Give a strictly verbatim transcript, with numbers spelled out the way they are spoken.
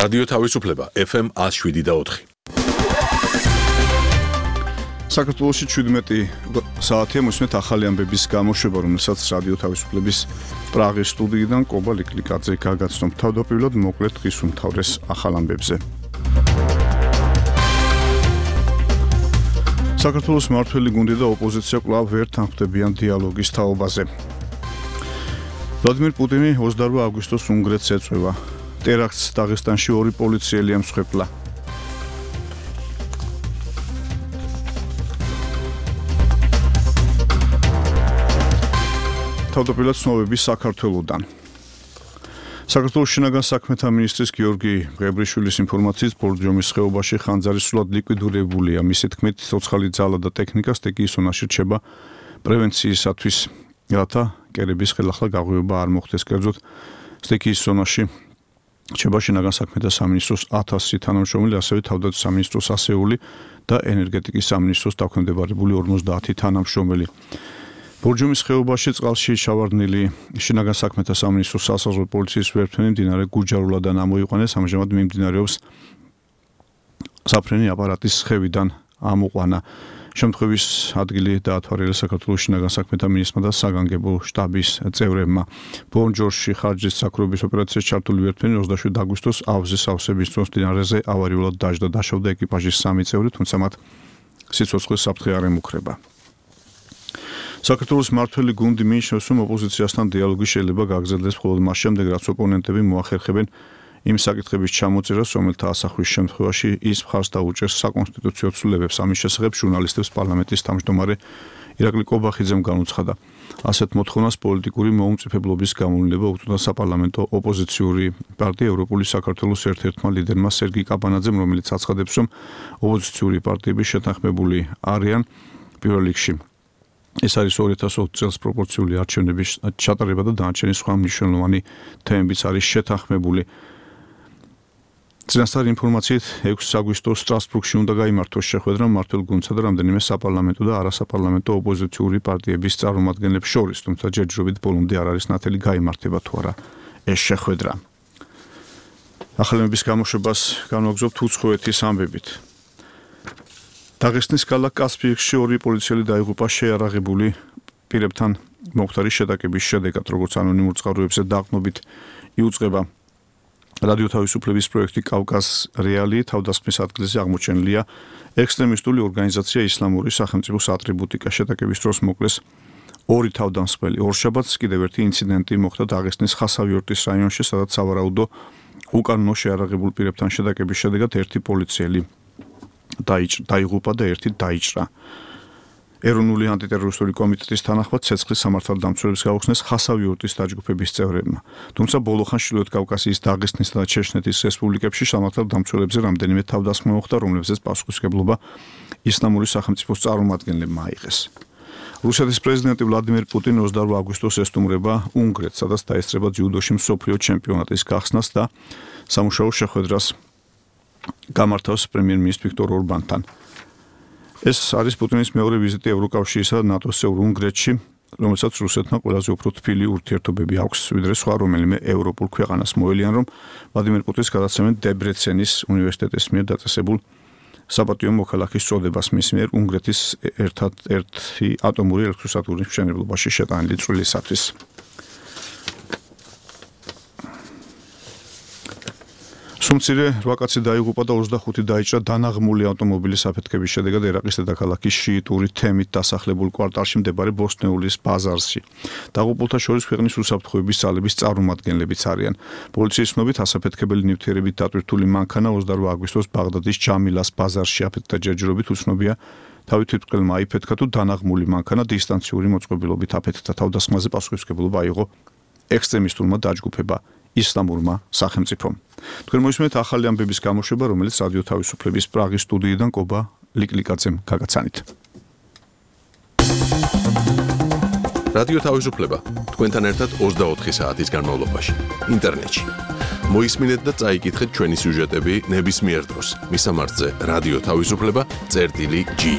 რადიო თავისუფლება ეფ ემ ათს შვიდი და ოთხი. საქართველოში ჩვიდმეტი საათია მოსმეთ ახალი ამბების გამოშვება, რომელსაც რადიო თავისუფლების პრაღის სტუდიიდან კობა ლიკლიკაძე გაგაცნობ. თავდაპირველად მოკლედ დღის უმთავრეს ახალ ამბებზე. საქართველოს მმართველი გუნდი და ოპოზიცია კვლავ ვერ თანხმდებიან დიალოგის თაობაზე. ვლადიმერ პუტინი ოცდაორ აგვისტოს უნგრეთს ეწვევა. ტერაქტს დაღესტანში ორი პოლიციელი ამსხვერპლა. თავდაპირველად ცნობები საქართველოდან. საქართველოს შინაგან საქმეთა მინისტრის გიორგი მღებრიშვილის ინფორმაციით ბორჯომის ხეობაში ხანძარი სულად ლიკვიდირებულია. მისი თქმით, ცოცხალი ძალა და ტექნიკა სტექიის ზონაში რჩება პრევენციისათვის, რათა კერების ხელახლა გაღვივება არ მოხდეს. კერძოდ, სტექიის ზონაში რჩება შინაგან საქმეთა სამინისტროს ათასი თანამშრომელი, ასევე თავდაცვის სამინისტროს ასეული და ენერგეტიკის სამინისტროს დაქვემდებარებული ორმოცდაათი თანამშრომელი. ბორჯომის ხეობაში წყალში ჩავარდნილი შინაგან საქმეთა სამინისტროს სასაზღვრო პოლიციის ვერტმფრენი მდინარე გუჯარულადან ამოიყვანეს. ამჟამად მიმდინარეობს საფრენი აპარატის ხევიდან ამოყვანა. შემთხვევის ადგილი დაათვალიერეს საქართველოს შინაგან საქმეთა მინისტრმა და საგანგებო შტაბის წევრებმა. ბონჯორში ხარჯის საკროების ოპერაციაში ჩართული ვერტმფრენი ოცდაშვიდი აგვისტოს ავზის სავსების დროს მდინარეზე ავარიულად დაждდა. დაშავდა ეკიპაჟის სამი წევრი, თუმცა მათ სიცოცხლის საფრთხე არ ემუქრება. საქართველოს მმართველი გუნდი მიიჩნევს, რომ ოპოზიციასთან დიალოგი შეიძლება გაგრძელდეს მხოლოდ მას შემდეგ, რაც ოპონენტები მოახერხებენ იმ საკითხების ჩამოწერას, რომელთა ასახვის შემთხვევაში ის მხარს დაუჭერს საკონსტიტუციო ცვლილებებს. ამის შესახებ ჟურნალისტებს პარლამენტის თავმჯდომარე ირაკლი კობახიძემ განუცხადა. ასეთ მოთხოვნას პოლიტიკური მოუმწიფებლობის გამოვლენა უწოდა საპარლამენტო ოპოზიციური პარტია ევროპული საქართველოს ერთ-ერთმა ლიდერმა სერგი კაბანაძემ, რომელიც აცხადებს, რომ ოპოზიციური პარტიები შეთანხმებული არიან პირველ რიგში. ეს არის ორი ათას ოცი წელს პროპორციული არჩევნების ჩატარება და დანარჩენი სხვა მნიშვნელოვანი თემებიც არის შეთანხმებული. წინასწარ ინფორმაციით ექვსი აგვისტოს სტრასბურგში უნდა გაიმართოს შეხვედრა მმართველ გუნდსა და რამდენიმე საპარლამენტო და არასაპარლამენტო ოპოზიციური პარტიების წარმომადგენლებს შორის, თუმცა ჯერჯერობით ბოლომდე არ არის ნათელი გაიმართება თუ არა ეს შეხვედრა. ახალების გამოშვებას განვაგრძობთ უცხოეთის ამბებით. დაღესტნის ქალაქ კასპიისში ორი პოლიციელი დაიღუპა შეარაღებული პირებთან მომხდარი შეტაკების შედეგად, როგორც ანონიმურ წყაროებზე დაყრდნობით იუწყება. რადიო თავისუფლების პროექტი კავკას რეალი თავდასხმის ადგილზე აღმოჩენილია ექსტრემისტული ორგანიზაცია ისლამური სახელმწიფოს ატრიბუტიკა. შეტაკების დროს მოკლეს ორი თავდამსხმელი. ორშაბათს კიდევ ერთი ინციდენტი მოხდა დაღესტნის ხასავიორტის რაიონში, სადაც სავარაუდო უკანონო შეარაღებულ პირებთან შეტაკების შედეგად ერთი პოლიციელი დაიღუპა და ერთი დაიჭრა. ეროვნული ანტიტერორისტული კომიტეტის თანახმად ცეცხლის სამართალდამცველებს გაუხსნეს ხასავიორტის დაჯგუფების წევრებმა. თუმცა ბოლო ხანში ჩრდილოეთ კავკასიის დაღესტნისა და ჩეჩნეთის რესპუბლიკებში სამართალდამცველებზე რამდენიმე თავდასხმა მოხდა, რომლებზეც პასუხისმგებლობა ისლამური სახელმწიფოს წარმომადგენლებმა აიღეს. რუსეთის პრეზიდენტი ვლადიმერ პუტინი ოცდაორ აგვისტოს ესტუმრება უნგრეთს, სადაც დაესწრება ძიუდოში მსოფლიო ჩემპიონატის გახსნას და სამუშაო შეხვედრას გამართავს პრემიერ-მინისტრ ვიქტორ ორბანთან. ეს არის პუტინის მეორე ვიზიტი ევროკავშირისა და ნატოს წევრ უნგრეთში, რომელსაც რუსეთთან ყველაზე უფრო თბილი ურთიერთობები აქვს, ვიდრე სხვა რომელიმე ევროპულ ქვეყანას. მოელიან, რომ ვლადიმერ პუტინს გადაცემენ დებრეცენის უნივერსიტეტის მიერ დაწესებულ საპატიო მოქალაქის წოდებას მის მიერ უნგრეთის ერთ-ერთი ატომური ელექტროსადგურის მშენებლობაში შეტანილი წვლილისათვის. სუმცირე რვა კაცი დაიღუპა და ოცდახუთი დაიჭრა დანაღმული ავტომობილის აფეთქების შედეგად ერაყის დედაქალაქის შიიტური თემით დასახლებულ კვარტალში მდებარე ბოსტნეულის ბაზარში. დაღუპულთა შორის ქვეყნის უსაფრთხოების ძალების წარმომადგენლებიც არიან. პოლიციის ცნობით ასაფეთქებელი ნივთიერებით დატვირთული მანქანა ოცდაორ აგვისტოს ბაღდადის ჯამილას ბაზარში აფეთქდა. ჯერჯერობით უცნობია თავი თვითმკვლელმა აიფეთქა თუ დანაღმული მანქანა დისტანციური მოწყობილობით აფეთქდა. თავდასხმაზე პასუხისმგებლობა აიღო ექსტრემისტულმა დაჯგუფება ისლამურმა სახელმწიფომ. თქვენ მოისმენთ ახალი ამბების გამოშვება, რომელიც რადიო თავისუფლების პრაღის სტუდიიდან კობა ლიკლიკაძემ გაგაცანით. რადიო თავისუფლება თქვენთან ერთად ოცდაოთხი საათის განმავლობაში ინტერნეტში. მოისმინეთ და წაიკითხეთ ჩვენი სიუჟეტები ნებისმიერ დროს. მისამართზე რადიო თავისუფლება წერტილი ჯი.